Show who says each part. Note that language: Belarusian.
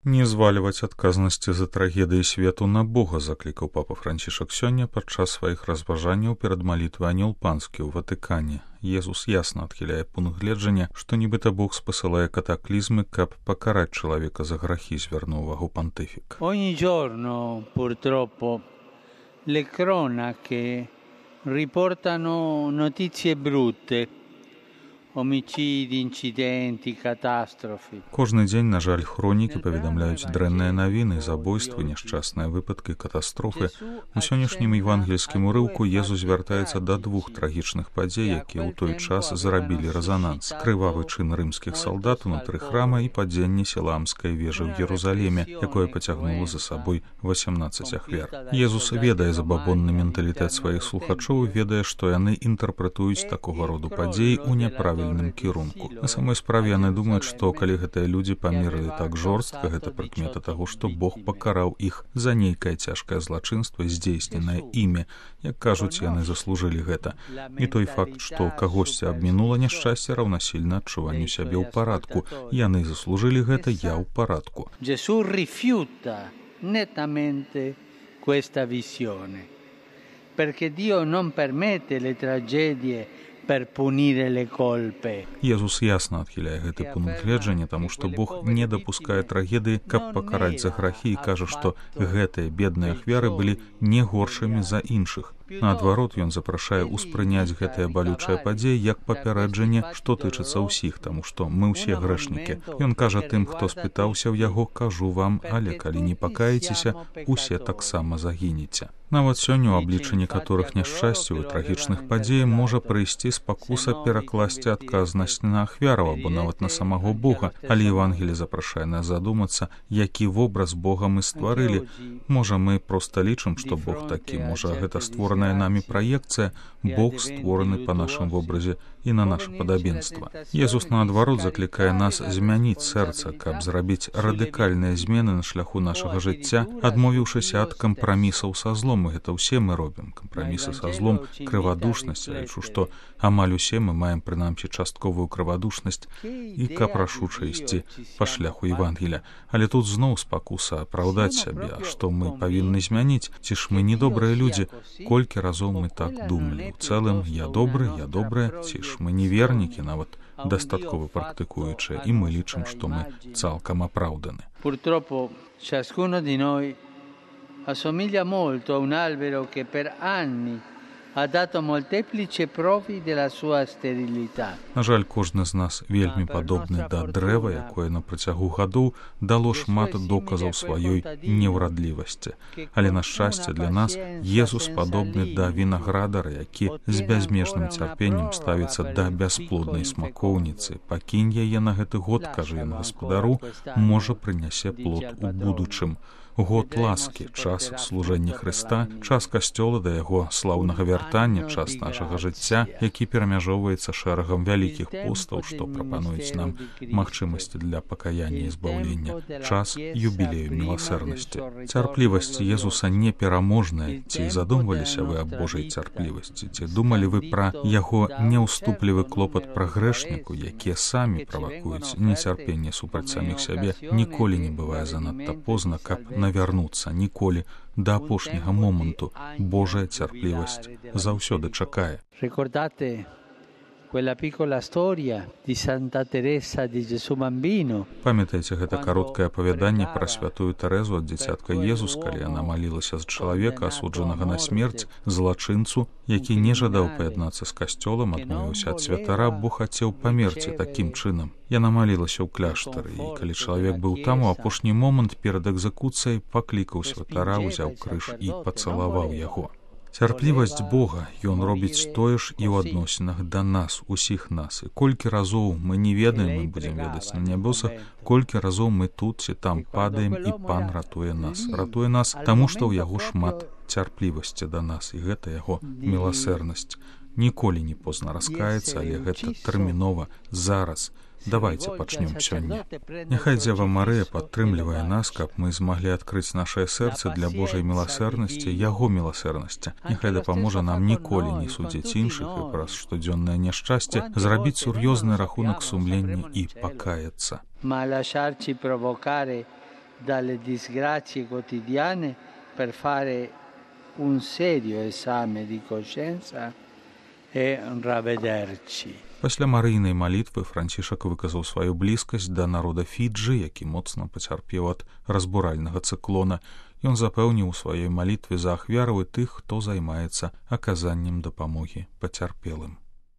Speaker 1: Не звальваць адказнасці за трагедыі свету на Бога, заклікаў папа Францішак сёння падчас сваіх разважанняў перад малітвай Анёл Панскі ў Ватыкане. Езус ясна адхіляе пункт гледжання, што нібыта Бог спасылае катаклізмы, каб пакараць чалавека за грахі, звярнуў увагу пантыфік.
Speaker 2: Ogni giorno, purtroppo, le cronache riportano notizie brutte. Omicidi, incidenti, catastrofi.
Speaker 1: Кожны дзень, на жаль, хронікі паведамляюць дрэнныя навіны, забойствы, няшчасныя выпадкі, катастрофы. У сённяшнім евангельскім урыўку Езус звяртаецца да двух трагічных падзей, якія ў той час зрабілі рэзананс. Крывавы чын рымскіх салдат унутры храма і падзенне Сіламскай вежы ў Єрусаліме, якое пацягнула за сабой 18 ахвяр. Езус ведае забабонны менталітэт сваіх слухачоў, ведае, што яны інтэрпрэтуюць такога роду падзеі ў няправільным кірунку. На самой справе яны думаюць, што калі гэтыя людзі памерлі так жорстка, гэта прыкмета таго, што Бог пакараў іх за нейкае цяжкае злачынства, здзейсненае імі. Як кажуць, яны заслужылі гэта. І той факт, што кагосьці абмінула няшчасце, раўнасільна адчуванню сябе ў парадку. Яны заслужылі гэта, я ў парадку.
Speaker 2: Gesù rifiuta nettamente questa visione, perché Dio non permette le tragedie per punire le colpe.
Speaker 1: Езус ясна адхіляе гэты пункт гледжання, таму што Бог не дапускае трагедыі, каб пакараць за грахі, і кажа, што гэтыя бедныя ахвяры былі не горшымі за іншых. Наадварот, ён запрашае ўспрыняць гэтыя балючыя падзеі як папярэджанне, што тычыцца ўсіх, таму што мы ўсе грэшнікі. Ён кажа тым, хто спытаўся ў яго, кажу вам, але калі не пакаецеся, усе таксама загінеце. Нават сёння ў абліччы некаторых няшчасцяў і трагічных падзей можа прыйсці спакуса перакласці адказнасць на ахвяраў або нават на самого Бога, але Евангелие запрашае нас задумацца, які вобраз Бога мы стварылі. Можа, мы проста лічым, што Бог такі, можа, гэта створаная намі праекцыя, Бог створаны па нашым вобразе і на наше падабенства. Езус, наадварот, заклікае нас змяніць сэрца, каб зрабіць радыкальныя змены на шляху нашага жыцця, адмовіўшыся ад кампрамісаў са злом. І гэта ўсе мы робім. Кампрамісы са злом, крывадушнасць. Я лічу, што амаль усе мы маем прынамсі частковую крывадушнасць і каб рашуча ісці па шляху Евангелія. Але тут зноў спакуса апраўдаць сябе, а што мы павінны змяніць? Ці ж мы не добрыя людзі? Колькі разоў мы так думалі? У цэлым, я добрая, ці ж мы невернікі, нават дастаткова практыкуючыя, і мы лічым, што мы цалкам апраўданы.
Speaker 2: Purtroppo ciascuno di noi assomiglia molto a un albero che per anni ha dato molteplici prove della sua sterilità.
Speaker 1: На жаль, кожны з нас вельмі падобны да дрэва, якое на працягу гадоў дало шмат доказаў сваёй неўрадлівасці. Але на шчасце для нас Езус падобны да вінаградара, які з бязмежным цярпеннем ставіцца да бясплоднай смакоўніцы. Пакінь яе на гэты год, кажа ён гаспадару, можа прынясе плод у будучым. Год ласкі, час служэння Хрыста, час касцёла да яго слаўнага вяртання, час нашага жыцця, які перамяжоўваецца шэрагам вялікіх постаў, што прапануюць нам магчымасці для пакаяння і збаўлення, час юбілею міласэрнасці. Цярплівасць Езуса непераможная. Ці задумваліся вы аб Божай цярплівасці? Ці думалі вы пра яго неўступлівы клопат пра грэшніку, якія самі правакуюць нецярпенне супраць саміх сябе? Ніколі не бывае занадта позна, каб навярнуцца, ніколі, да апошняга моманту. Божая цярплівасць заўсёды чакае.
Speaker 2: Ricordate quella piccola storia di Santa Teresa di Gesù Bambino.
Speaker 1: Памятаеце гэта кароткае апавяданне пра святую Тэрэзу ад дзіцятка Езус, калі яна малілася за чалавека, асуджанага на смерць, злачынцу, які не жадаў паяднацца з касцёлам, адмовіўся ад святара, бо хацеў памерці такім чынам. Яна малілася ў кляштары, і калі чалавек быў там, у апошні момант перад экзекуцыяй паклікаў святара, узяў крыж і пацалаваў яго. Цярплівасць Бога, ён робіць тое ж і ў адносінах да нас, усіх нас. І колькі разоў мы не ведаем, мы будзем ведаць на нябёсах, колькі разоў мы тут ці там падаем, і Пан ратуе нас. Ратуе нас, таму што ў яго шмат цярплівасці да нас, і гэта яго міласэрнасць. Ніколі не позна раскаяцца, але гэта тэрмінова, зараз. Давайте пачнем сёння. Няхай Дзева Марыя падтрымлівае нас, каб мы змаглі адкрыць нашае сэрца для Божай міласэрнасці, яго міласэрнасці. Няхай дапаможа нам ніколі не судзіць іншых і праз штодзённае няшчасце зрабіць сур'ёзны рахунак сумлення і пакаяцца.
Speaker 2: Ma lasciarci provocare dalle disgrazie quotidiane per fare un serio esame di coscienza e ravvederci.
Speaker 1: Пасля марыйнай малітвы Францішак выказаў сваю блізкасць да народа Фіджы, які моцна пацярпеў ад разбуральнага цыклона. Ён запэўніў у сваёй малітве за ахвяраў і тых, хто займаецца аказаннем дапамогі пацярпелым.